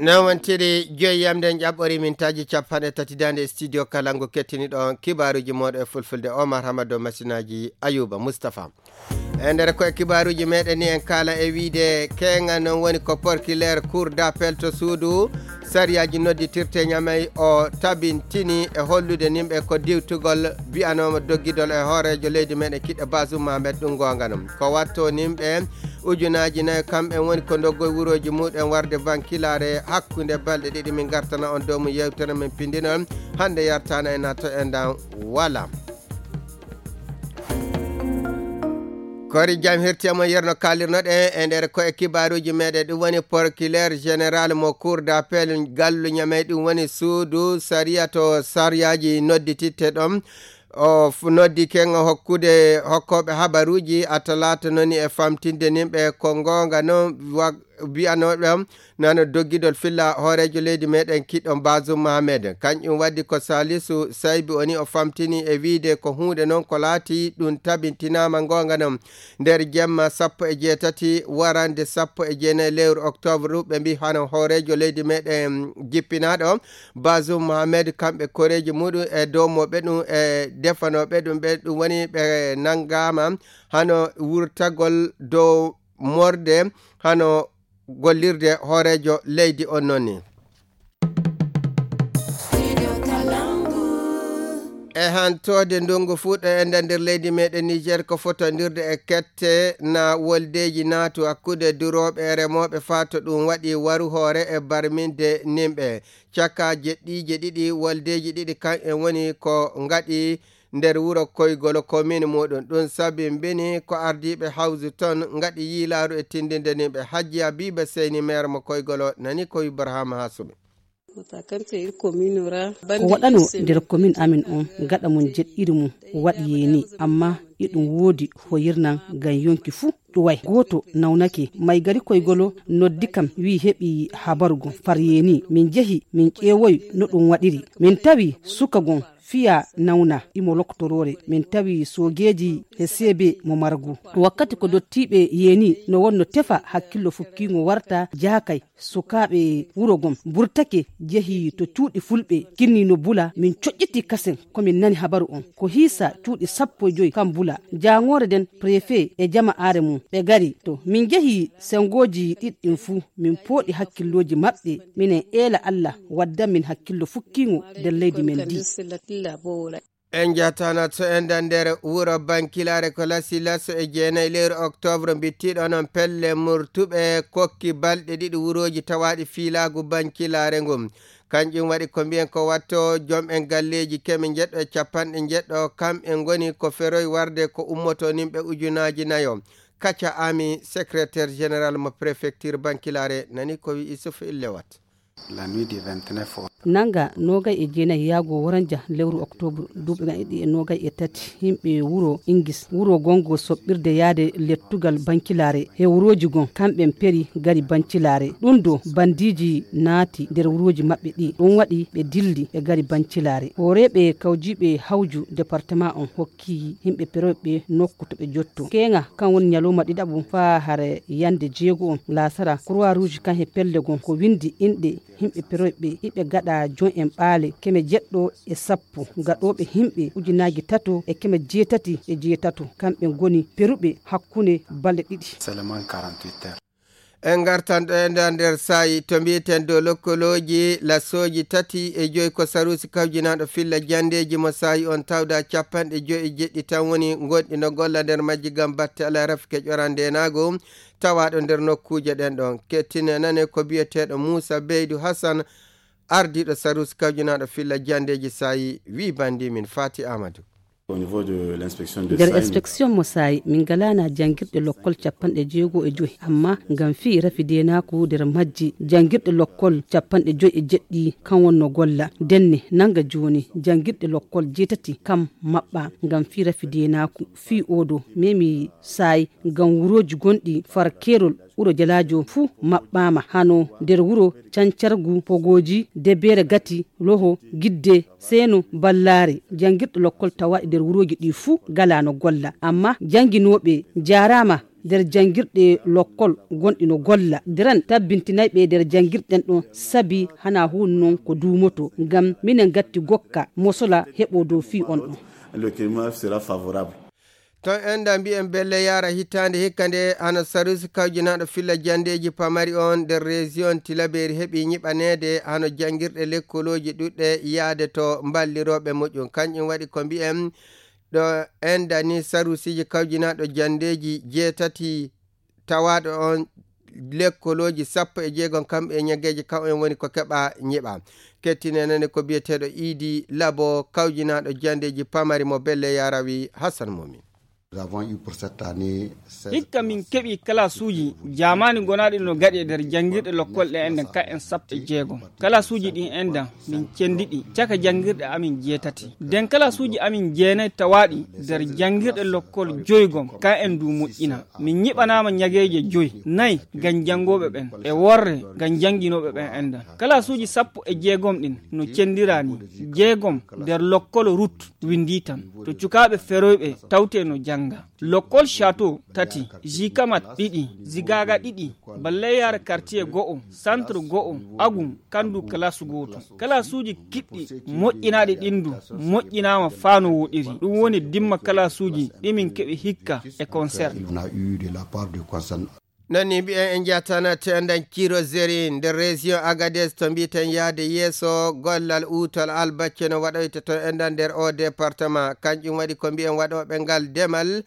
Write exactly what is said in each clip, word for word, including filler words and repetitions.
nawantiri joyi yamden ƴaɓɓori mintaji capanɗe tati dande studio kalango kettiniɗo kibaruji moɗo e fulfulde Omar Hamado masinaji Ayuba Moustapha e nder koye kibaruji meɗen ni en kala e wiide kenga non woni ko porkilaire cour d'appel to suudu sariyaji nodditirte ñamay o tabintini e hollude nimɓe ko diwtugol biyanoma doggidol e hoorejo leydi meɗen kiɗɗo Bazoum Mahamed ɗum gonga non ko watto nimɓe ujunaji nayyi kamɓe woni ko doggoye wuroji muɗen warde bankilare hakkude balɗe ɗiɗi min gartana on dow mo yewtere men pindinon hande yartana e nato e ndan wala kori jam hirtiyamo yerno kalirnoɗe e nder koye kibaruji meɗen ɗum woni procureur général mo cour d'appel gallu ñamey ɗum woni suudu saria to sariyaji noddititte ɗon o noddi kenga hokkude hokkoɓe habaruji atalata noni e famtinde nimɓe ko gonga noon biyanoɗo nano doggidol filla hoorejo leydi meɗen kiɗɗo Bazoum Mahamed kañƴum waddi ko Salisu Saybi oni o famtini e wiide ko hunde noon ko laati ɗum tabintinama gonga noon nder jemma sappo e jeetati warande sappo e jeenayi lewru octobre ɓe mbi hano hoorejo leydi meɗen jippinaɗo Bazoum Mahamed kamɓe koreji muɗum e dowmoɓe ɗum e defanoɓe ɗum ɓe ɗum woni ɓe nangama hano wurtagol dow morde hano gollirde hoorejo leydi on nonni e hantode ndungu fuuɗo e nder leydi meɗen Niger ko fotodirde e kette na woldeji naatu hakkude duroɓe e remoɓe fato ɗum waɗi waru hoore e barminde nimɓe caka jeɗɗije ɗiɗi woldeji ɗiɗi kan en woni ko gaɗi nder wuro koygolo commune muɗum ɗum sabi mbini ko ardiɓe hawsi toon gaɗi yiilaru e tindinde nimɓe Hajji Habiba Seyni maire mo koygolo nani ko Ibrahima Hasuɓe ko waɗano nder commune amin on gaɗa mum jeɗɗiri mum waɗi yeni amma iɗum woodi hoyirnan gam yonki fuu ɗuway goto nawnake may gari koygolo noddi kam wi heɓi habarugo far yeni min jehi min ƴeewoy no ɗum waɗiri min tawi suka gon fiya nawna imo loktorore min tawi sogeji e sebe mo margu wakkati ko dottiɓe yeni no wonno tefa hakkillo fukkingo warta jakay sukaɓe wurogom burtake jehi to cuuɗi fulɓe kinni no bula min coƴƴiti kasen komin nani habaru on ko hiisa cuuɗi sappo e joyi kam bula jangore den préfet e jama are mum ɓe gari to min jehi sengoji ɗiɗɗin fuu min pooɗi hakkilloji maɓɓe minen eela Allah wadda min hakkillo fukkingo nder leydi men di en jatana to enda nder wuro bankilare ko lasi laso e jeenayi lewru octobre bittiɗo noon pelle murtuɓe kokki balɗe ɗiɗi wuroji tawaɗi filagu bankilare ngum kanƴum waɗi ko mbiyen ko watto joom en galleji kemi jeɗɗo e capanɗe jeɗɗo kam en goni ko feroy warde ko ummoto nimɓe ujunaji nayo Kacha Ami secrétaire général mo préfecture bankilare nani ko wi Isufu Illewat la nuit du vingt-neuf nanga nogay e jeenayi yaago waranja lewru octobre duuɓi gan ɗiɗi e nogay e tati himɓe wuro Ingis wuro gongo soɓɓirde yaade lettugal bankilare e wuroji gon kamɓen peri gari bancilare ɗum do bandiji naati nder wuroji maɓɓe ɗi ɗum waɗi ɓe dilli e gari bancilare horeɓe kawjiɓe hawju département on hokki himɓe peroɓe nokku to ɓe jotto kenga kan woni ñalowma ɗiɗaɓum fa hare yande jeego on lasara croix rouge kan he pelle gon ko windi inɗe himɓe peroɓe hiɓe gaɗa jon en ɓaale keme jeɗɗo e sappo gaɗoɓe himɓe ujunaji tato e keme jeetati e jeetato kamɓe goni peruɓe hakkunde balɗe ɗiɗi en gartanɗo e nder nder sayi to mbiyeten dow lokkoloji lasoji tati e joyi ko sarusi kawjinaɗo filla jandeji mo sayi on tawda capanɗe joyi e jeɗɗi tan woni gonɗi no golla nder majji gam batte ala rafke ƴorande nago tawaɗo nder nokkuje ɗen ɗon kettine nane ko biyeteɗo Moussa Beydou Hassan ardiɗo sarusi kawjinaɗo filla jandeji sayi wi bandi min Fati Amadou nder inspection mo sayi min galana jangirɗe lokkol capanɗe jeego e joyi amma ngam fi rafidenaku nder majji jangirɗe lokkol capanɗe joyi e jeɗɗi kan wonno golla denne nanga joni jangirɗe lokkol jeetati kam maɓɓa ngam fi rafidenaku fi odo memi sayi ngam wuroji gonɗi far kerol uro jalajo fuu maɓɓama hano nder wuro cancargu pogoji debere gati loho gidde seno ballare jangirɗe lokkol tawaɗi nder wuroji ɗi fuu galano golla amma janginoɓe jarama nder jangirɗe lokkol gonɗi no golla diran tabbintinay ɓe nder jangirɗen ɗon sabi hana hun non ko dumoto ngam minen gatti gokka mosola heɓo dow fi on ɗon. Le climat sera favorable. ton enda mbi'en belle yara hitande hikkande hano sarusi kawjinaɗo filla jandeji pamari on nder région Tilaberi heeɓi ñiɓanede hano jangirɗe lekkoloji ɗuɗɗe yaade to balliroɓe moƴƴum kañƴum waɗi ko mbi'en ɗo enda ni sarusiji kawjinaɗo jandeji jeetati tawaɗo on lekkoloji sappo e jeegon kamɓe e ñaggeji kaw en woni ko keɓa ñiɓa kettinenene ko biyeteɗo Idi Labo kawjinaɗo jandeji pamari mo belle yarawi Hassan Momin. hikka min keɓi kalasuji jamani gonaɗi no gaɗi e nder jangirɗe lokkol ɗe enden ka en sappo e jeegom kalasuji ɗin endan min cendiɗi caka jangirɗe amin jeetati nden kalasuji amin jeenayi tawaɗi nder jangirɗe lokkol joygom ka en du moƴƴina min ñiɓanama ñageje joyi nayyi ngam jangoɓe ɓen e worre ngam janginoɓe ɓen endan kalasuji sappo e jeegom ɗin no cendirani jeegom nder lokkol route windi tan to cukaɓe feroyɓe tawte no jang lokkol château tati jikamat ɗiɗi zigaga ɗiɗi balleyar quartier go'o centre go'o agum kandu classe goto kalasuji kiɗɗi moƴƴinaɗi ɗindu moƴƴinama fano woɗiri ɗum woni dimma kalasuji ɗimin keɓe hikka e concert nani mbi'en en jatana tendan kiro zeri nder région Agadez to mbiten yaade yeeso gollal utol albacce no waɗoyte to endan nder o département kanƴum waɗi ko mbi'en waɗoɓe ngal demal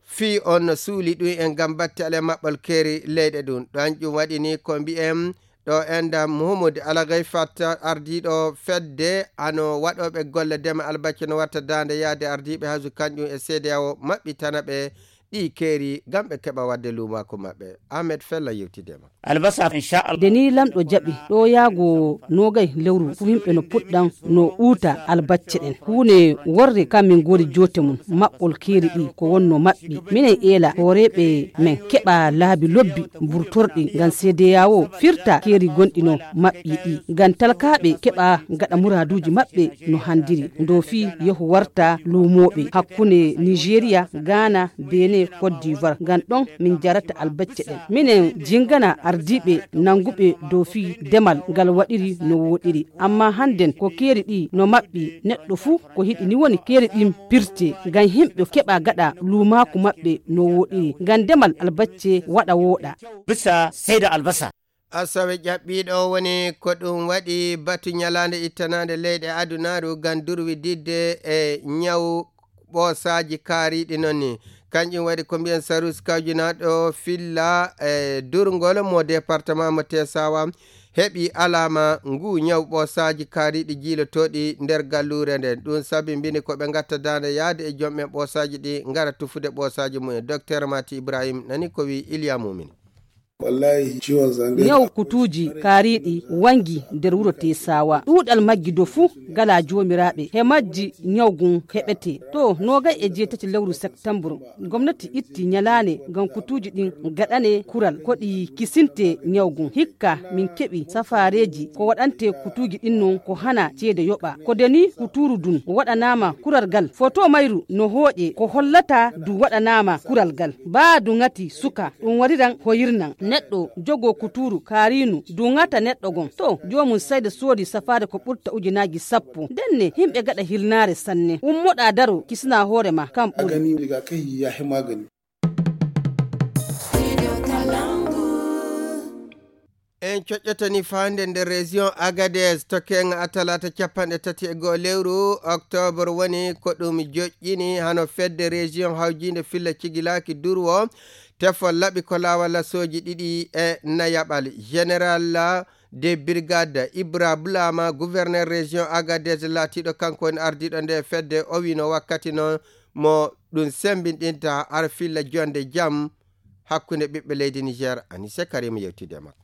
fi on no suuli ɗum en gam batte ale maɓɓol keeri leyɗe ɗum ɗanƴum waɗi ni ko mbi'en ɗo enda Mouhamadou Alagay Fatta ardiɗo fedde ano waɗoɓe golle dema albacce no watta dande yaade ardiɓe haaju kanƴum e C D A O maɓɓitana ɓe ɗi keeri gam ɓe keɓa wadde lumako maɓɓe. Ahmed Fella yewtidema albasa inchallah deni lamɗo jaɓi ɗo yaago nogay lewru fu himɓe no puɗɗan no uuta albacce ɗen hunde worre kam min gori jote mum maɓɓol keeri ɗi ko wonno maɓɓi minen eela hooreɓe men keɓa laabi lobbi burtorɗi ngam seedeyawo firta keeri gonɗi no maɓɓi ɗi ngam talkaɓe keɓa gaɗa muraduji maɓɓe no handiri dow fi yehu warta lumoɓe hakkunde Nigéria Ghana Benin Côte d'Ivoire ngam ɗon min jarata albacce ɗen minen jingana ardiɓe nanguɓe dow fi demal ngal waɗiri no woɗiri amma hannden ko keeri ɗi no maɓɓi neɗɗo fuu ko hiɗi ni woni keeri ɗin pirte ngam himɓe keɓa gaɗa lumaku maɓɓe no woɗiri ngam demal albacce waɗa woɗa bisa seyda albasa. Asawe ƴaɓɓiɗo woni ko ɗum waɗi batu ñalande ittanade leyɗe adunaru ngam durwi didde e ñaw ɓoosaji kaariɗi noon ni kanƴum waɗi ko mbiyen sarus kawjinaɗo filla e durgol mo département mo Tesawa heɓi alama ngu ñaw ɓoosaji kaariɗi jiilotoɗi nder gallure nden ɗum sabi mbini koɓe gatta dande yaade e joom en ɓoosaji ɗi gara tufude ɓoosaji mumen docteur Mati Ibrahim nani ko wi Iliya Mumin. wallahi ciwon zande yaw kutuji kaariɗi wangi nder wuro Tesawa ɗuɗal maggi do fuu gala jomiraɓe he majji nyawgun heɓete to nogay e jeetati lewru septembre gomnati itti nyalane ngam kutuji ɗin gaɗane kural ko ɗi kisinte nyawgun hikka min keɓi safareji ko waɗante kutuji ɗin non ko hana ceede yoɓa ko deni kuturu dun waɗanama kural gal photo mayru no hooƴe ko hollata du waɗanama kural gal ba du ngati suka ɗum wariran hoyirnan neɗɗo jogo kuturu karinu dungata neɗɗo gon to jomum sayda soodi safare ko ɓurta ujunaji sappo denne himɓe gaɗa hilnare sanne ummoɗa daro kisna hoorema kam ɓuri agani diga kai ya hi magani. en coƴƴotani fande nder région Agadez to kenga atalata capanɗe tati e goo lewru octobre woni ko ɗum joƴƴini hano fedde région hawjinde filla cigilaki durwo tefol laɓi ko lawal lasoji ɗiɗi e nayaɓal général de brigade Ibra Blama gouverneur région Agadez laatiɗo kanko woni ardiɗo nde fedde o wino wakkati noon mo ɗum sembinɗinta ar filla jonde jaam hakkunde ɓiɓɓe leydi Niger Anise Karim yewtide makko.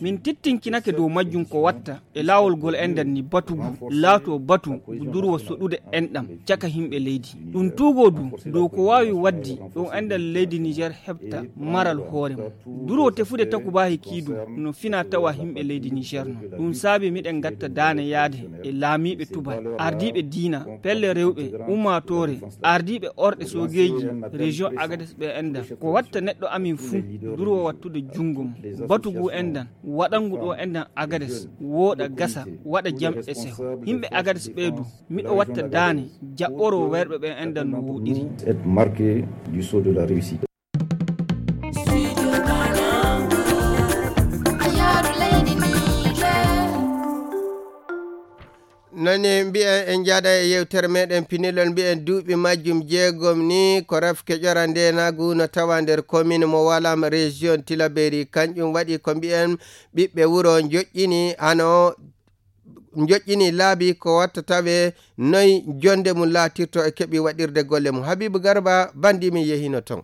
min tittinkinake dow majjum ko watta e laawol gol enɗam ni batugu laato batu durwo soɗude enɗam caka himɓe leydi ɗum tuugo du dow ko wawi waddi ɗum enɗam leydi Niger heɓta maral hoore mum durwo tefude takubahi kiidu no fina tawa himɓe leydi Niger no ɗum saabi miɗen gatta daane yaade e laamiɓe tubal ardiɓe diina pelle rewɓe ummatore ardiɓe orɗe sogeji région Agadez ɓe enɗam ko watta neɗɗo amin fuu durwo wattude jungo mum batugu enɗam waɗangu ɗo enɗam Agadez wooɗa gasa waɗa jam e seho himɓe Agadez ɓeydu miɗo watta daane jaɓɓoro werɓe ɓe enɗam no woɗiri. nani mbiyen en jaaɗa e yewtere meɗen pinilol mbiyen duuɓi majjum jeegom ni ko rafke ƴora ndenagu no tawa nder commune mo Walam région Tillabéri kanƴum waɗi ko mbiyen ɓiɓɓe wuro joƴƴini hano joƴƴini laabi ko watta tawe noyi jonde mum laatirto e keeɓi waɗirde golle mum. Habibou Garba bandimi yehino ton.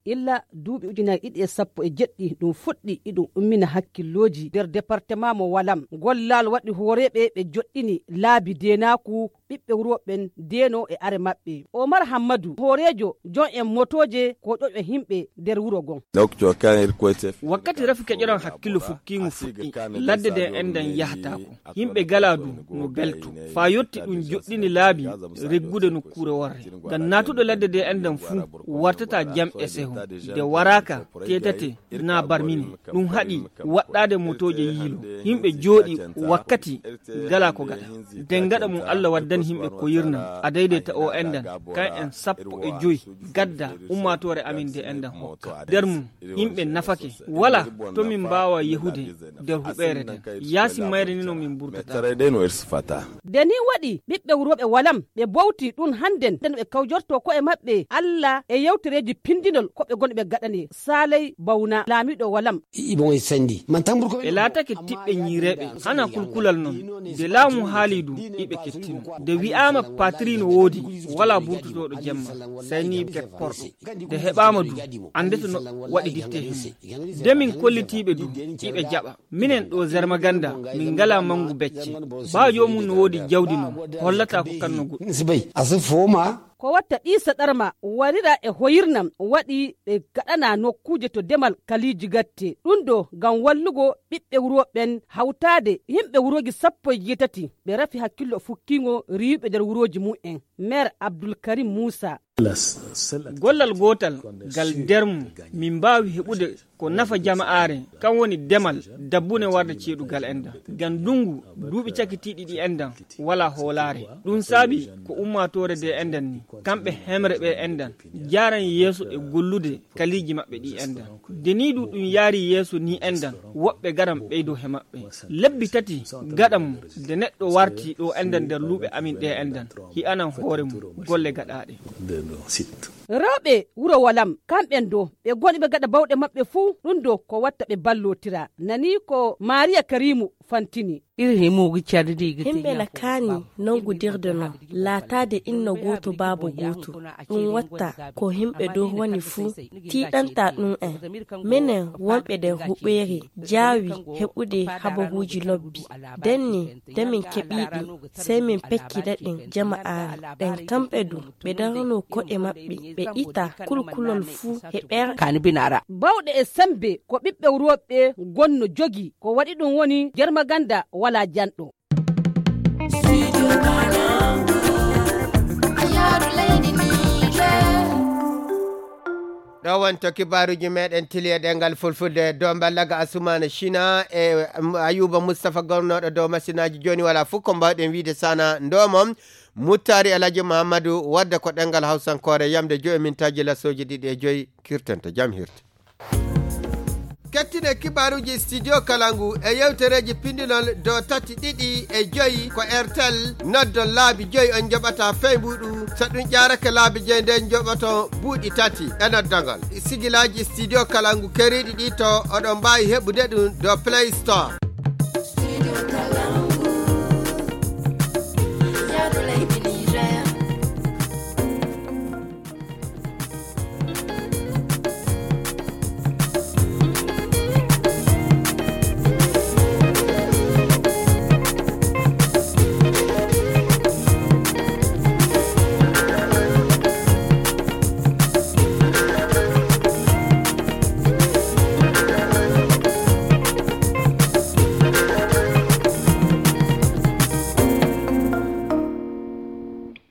illa duuɓi ujunaji ɗiɗi e sappo e jeɗɗi ɗum fuɗɗi iɗum ummina hakkilloji nder département mo Walam gollal waɗi hooreɓe ɓe joɗɗini laabi denaku ɓiɓɓe wuroɓen deno e are maɓɓe. Omar Hammadou hoorejo jon en motoje ko ƴoƴɓe himɓe nder wuro gon. wakkati rafi keƴoran hakkillo fukkigu fuɗɗi ladde de enɗam yahatako himɓe galadu no belto fa yetti ɗum joɗɗini laabi reggude nokkure worre ngam natuɗo ladde de enɗam fuu wartata jam e seho de waraka tetate na barmine ɗum haɗi waɗɗade motoje yiilo himɓe jooɗi wakkati gala ko gaɗa den gaɗa mum Allah waddani himɓe ko yirna a daidaita o enɗam kan en sappo e joyi gadda ummatore amin de enɗam hokka nder mum himɓe nafake wala to min mbawa yehude nder huɓere den yaasi mayre ni no min burtata deni waɗi ɓiɓɓe wuroɓe Walam ɓe bowti ɗum handen den ɓe kawjorto ko e maɓɓe Allah e yewtereji pindinol ko ɓe gonɓe gaɗani Saley Bawna laamiɗo Walam ɓe laatake tiɓɓe ñiireɓe hana kulkulal non de laamu haali du iɓe kettino de wi'ama patrie no woodi wala burtutoɗo jemma sayni ket porɗo de heɓama du andeta no waɗi ditte himɓe de min kollitiɓe du iɓe jaɓa minen ɗo Zermaganda min ngala mangu becce ba jomum no woodi jawdi non hollata ko kanno goɗɗo ko watta ɗiisa ɗarma warira e hoyirnam waɗi ɓe gaɗana nokkuje to demal kaliji gatte ɗum ɗo ngam wallugo ɓiɓɓe wuroɓen hawtade yimɓe wuroji sappo e jeetati ɓe rafi hakkillo fukkigo riwiɓe nder wuroji mu'en maire Abdoulkarim Moussa. gollal gotal gal dermu min mbawi heɓude ko nafa jama'are kan woni demal dabbune warde ceeɗugal enɗam gam dungu duuɓi cakitiɗi ɗi enɗam wala hoolare ɗum saabi ko ummatore de enɗam ni kamɓe hemre ɓe enɗam jaran yeeso e gollude kaliji maɓɓe ɗi enɗam deniɗu ɗum yaari yeeso ni enɗam woɓɓe garam ɓeydo he maɓɓe lebbi tati gaɗam de neɗɗo warti ɗo enɗam nder luuɓe amin ɗe enɗam hi anan hoore mum golle gaɗaɗe rewɓe wuro Walam kamɓen do ɓe goni ɓe gaɗa bawɗe maɓɓe fuu ɗum do ko watta ɓe ballotira nani ko Maria Karimu fantini himɓe lakani nangudirde non laatade inna goto baaba goto ɗum watta ko himɓe dow woni fuu tiɗanta ɗum en minen wonɓe nder huɓɓere jaawi heɓude habaruji lobbi denni nde min keɓiɗi sey min pekkida ɗin jama'are ɗen kamɓe du ɓe darano ko'e maɓɓe ɓe ita kulkulol fuu heɓer bawɗe e sembe ko ɓiɓɓe wuroɓe gonno jogi ko waɗi ɗum woni Zermaganda wala janɗo. ɗo wonto kibaruji meɗen tiliye ɗengal fulfulde dow ballaga Asumana China e Ayuba Moustapha gornoɗo dow masinaji joni wala fof ko mbawɗen wiide sana ndomom Muttari Alaji Mahamadou wadda ko ɗengal hawsankore yamde joyi mintaji lasoji ɗiɗi e joyi kirtanta jam hirte. kettine kibaruji studio Kalangu e yewtereji pindinol do tati ɗiɗi e joyi ko Airtel noddon laabi joyi on joɓata feybuɗu so ɗum ƴarake laabi joyi nden joɓoto buuɗi tati e noddogol sigilaji studio Kalangu keriɗi ɗi to oɗon mbawi heɓude ɗum do Play Store.